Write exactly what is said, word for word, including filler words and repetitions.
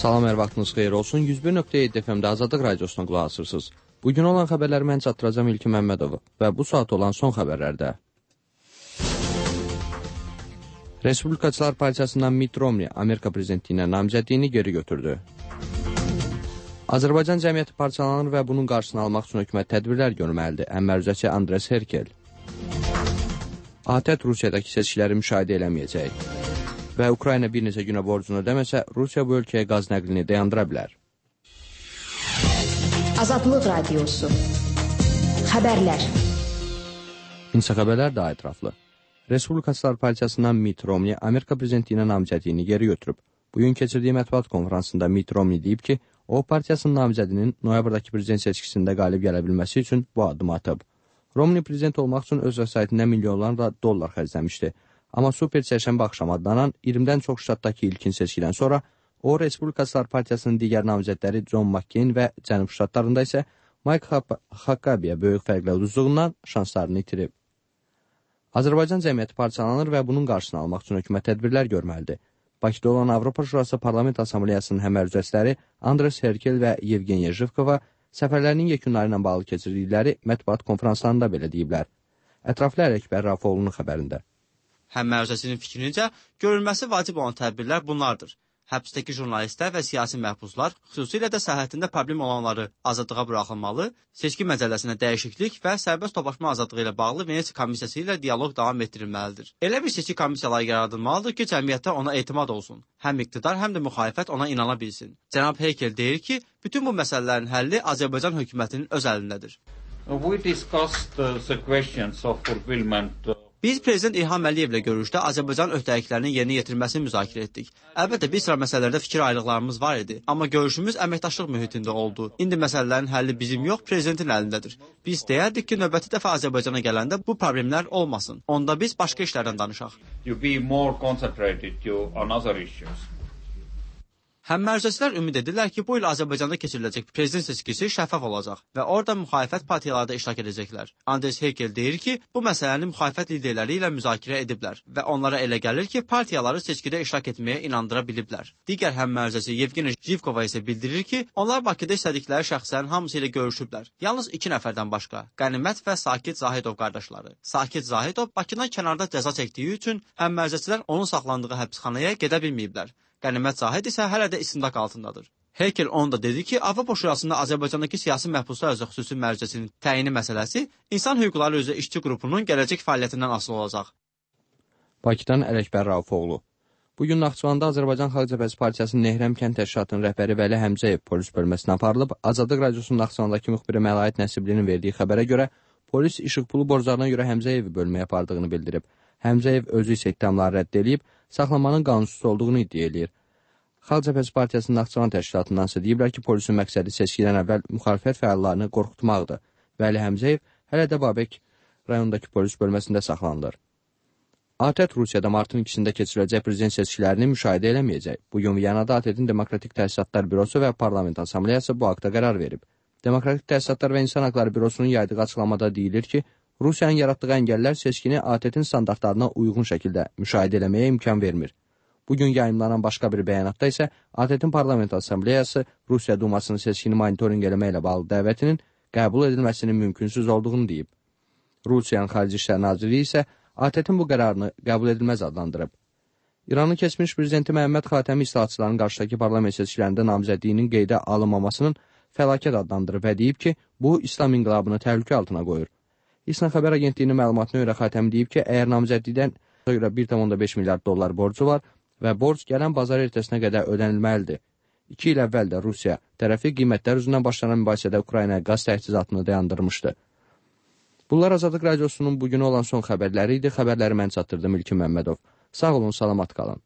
Salam, hər vaxtınız xeyir olsun. yüz bir nöqtə yeddi F M-də Azadlıq Radiosuna qulaq asırsınız. Bugün olan xəbərləri mən çatdıracağım İlkin Məmmədov və bu saat olan son xəbərlərdə. Respublikaçılar Partiyasından Mitt Romney Amerika prezidentliyinə namizədliyini geri götürdü. Azərbaycan cəmiyyəti parçalanır və bunun qarşısını almaq üçün hökumət tədbirlər görməlidir. Əmrəzəçi Andres Herkel. ATƏT Rusiyadakı seçkiləri müşahidə eləməyəcək. Və Ukrayna bir neçə günə borcunu ödəməsə, Rusiya bu ölkəyə qaz nəqlini dayandıra bilər. Azadlıq Radiosu. Xəbərlər. İnsa xəbərlər daha ətraflı. Respublikaçılar Partiyasından Mitt Romney Amerika prezidentliyinə namizədliyini geri götürüb. Bugün keçirdiyi mətbuat konferansında Mitt Romney deyib ki, o partiyasının namizədinin noyabrdakı prezident seçkisində qalib gələ bilməsi üçün bu addımı atıb. Romney prezident olmaq üçün öz vəsaitində milyonlarla dollar xərcləmişdi. Amma Super Çərşənbə axşamı adlanan iyirmidən çox ştatdakı ilkin seçkidən sonra o, Respublikaçılar Partiyasının digər namizədləri John McCain və Cənub ştatlarında isə Mike Huckabeyə böyük fərqlə uduzduğundan şanslarını itirib. Azərbaycan cəmiyyəti parçalanır və bunun qarşısını almaq üçün hökumət tədbirlər görməlidir. Bakıda olan Avropa Şurası Parlament Assambleyasının həmərcəsləri Andres Herkel və Yevgeniya Jivkova səfərlərinin yekunları ilə bağlı keçirdikləri mətbuat konferanslarında belə deyiblər. Ətraflı Ələkbər Rafoğlu'nun xəbərində. Həmmərcəsinin fikrincə, görülməsi vacib olan tədbirlər bunlardır. Həbsdəki jurnalistlər və siyasi məhbuslar, xüsusilə də sərhədində problem olanları azadlığa buraxılmalı, seçki məcəlləsinə dəyişiklik və sərbəst toplaşma azadlığı ilə bağlı Venesiya komissiyası ilə dialoq davam etdirilməlidir. Elə bir seçki komissiyaları yaradılmalıdır ki, cəmiyyətdə ona etimad olsun. Həm iqtidar, həm də müxalifət ona inana bilsin. Cənab Herkel deyir ki, bütün bu məsələlərin həlli Azərbaycan hökumətinin öz əlindədir. We discussed uh, the questions of fulfillment. Uh... Biz Prezident İlham Əliyevlə görüşdə Azərbaycan öhdəliklərinin yerinə yetirilməsini müzakirə etdik. Əlbəttə, bir sıra məsələlərdə fikir ayrılıqlarımız var idi, amma görüşümüz əməkdaşlıq mühitində oldu. İndi məsələlərin həlli bizim yox, prezidentin əlindədir. Biz deyərdik ki, növbəti dəfə Azərbaycana gələndə bu problemlər olmasın. Onda biz başqa işlərdən danışaq. You be more concentrated on other issues. Həmmərcəsilər ümid edirlər ki, bu il Azərbaycanda keçiriləcək prezident seçkisi şəffaf olacaq və orada müxalifət partiyaları da iştirak edəcəklər. Andres Herkel deyir ki, bu məsələni müxalifət liderləri ilə müzakirə ediblər və onlara elə gəlir ki, partiyaları seçkidə iştirak etməyə inandıra biliblər. Digər həmmərcəsi Yevgeniya Jivkova isə bildirir ki, onlar Bakıda istədikləri şəxslərin hamısı ilə görüşüblər. Yalnız iki nəfərdən başqa, Qənimət və Sakit Zahidov qardaşları. Sakit Zahidov Bakıdan kənarda cəza çəkdiyi üçün həmmərcəsilər onun saxlandığı həbsxanaya gedə bilməyiblər. Qənimət Zahid isə hələ də istintaq altındadır. Herkel onu da dedi ki, Avropa Şurasında Azərbaycandakı siyasi məhbuslar üzrə xüsusi mərcəsinin təyini məsələsi insan hüquqları üzrə işçi qrupunun gələcək fəaliyyətindən asılı olacaq. Bakıdan Ələkbər Rafoğlu. Bugün Naxçıvanda Azərbaycan Xalq Cəbhəsi Partiyasının Nehrəm kənd təşkilatının rəhbəri Vəli Həmzəyev polis bölməsinə aparılıb. Azadlıq Radiosunun Naxçıvandakı müxbiri Məlaid Nəsiblinin verdiyi xəbərə görə polis işıq pulu borclarına görə Həmzəyevi bölməyə apardığını bildirib. Həmzəyev özü isə ittihamları rədd edib, saxlamanın qanunsuz olduğunu iddia edir. Xalq Cəbhəsi Partiyasının Naxçıvan təşkilatından isə deyiblər ki, polisin məqsədi seçkidən əvvəl müxalifət fəallarını qorxutmaqdır. Vəli Həmzəyev hələ də Babək rayonundakı polis bölməsində saxlanılır. ATƏT Rusiyada martın ikisində keçiriləcək prezident seçkilərini müşahidə eləməyəcək. Bugün Viyanada ATƏT-in Demokratik Təsisatlar Bürosu və Parlament Assambleyası bu haqda qərar verib. Demokratik Təsisatlar və İnsan Haqları Bürosunun yaydığı açıqlamada deyilir ki, Rusiyanın yaratdığı əngəllər seçkini ATƏT-in standartlarına uyğun şəkildə müşahidə eləməyə imkan vermir. Bugün yayımlanan başqa bir bəyanatda isə ATƏT-in Parlament Assambleyası Rusiya Dumasının seçkini monitorinq eləməklə bağlı dəvətinin qəbul edilməsinin mümkünsüz olduğunu deyib. Rusiyanın Xarici İşlər Nazirliyi isə ATƏT-in bu qərarını qəbul edilməz adlandırıb. İranın keçmiş prezidenti Məhəmməd Xatəmi islahatçıların qarşıdakı parlament seçkilərində namizədliyinin qeydə alınmamasının fəlakət adlandırıb və deyib ki, bu İslam inqilabını təhlükə altına qoyur. İSNA xəbər agentliyinin məlumatına görə Xatəmi deyib ki, əgər namizədlikdən görə bir tam beş milyard dollar borcu var və borc gələn bazar ertəsinə qədər ödənilməlidir. İki il əvvəl də Rusiya tərəfi qiymətlər üzündən başlanan mübahisədə Ukraynaya qaz təchizatını dayandırmışdı. Bunlar Azadlıq Radiosunun bugün olan son xəbərləri idi. Xəbərləri mən çatdırdım İlkin Məmmədov. Sağ olun, salamat qalın.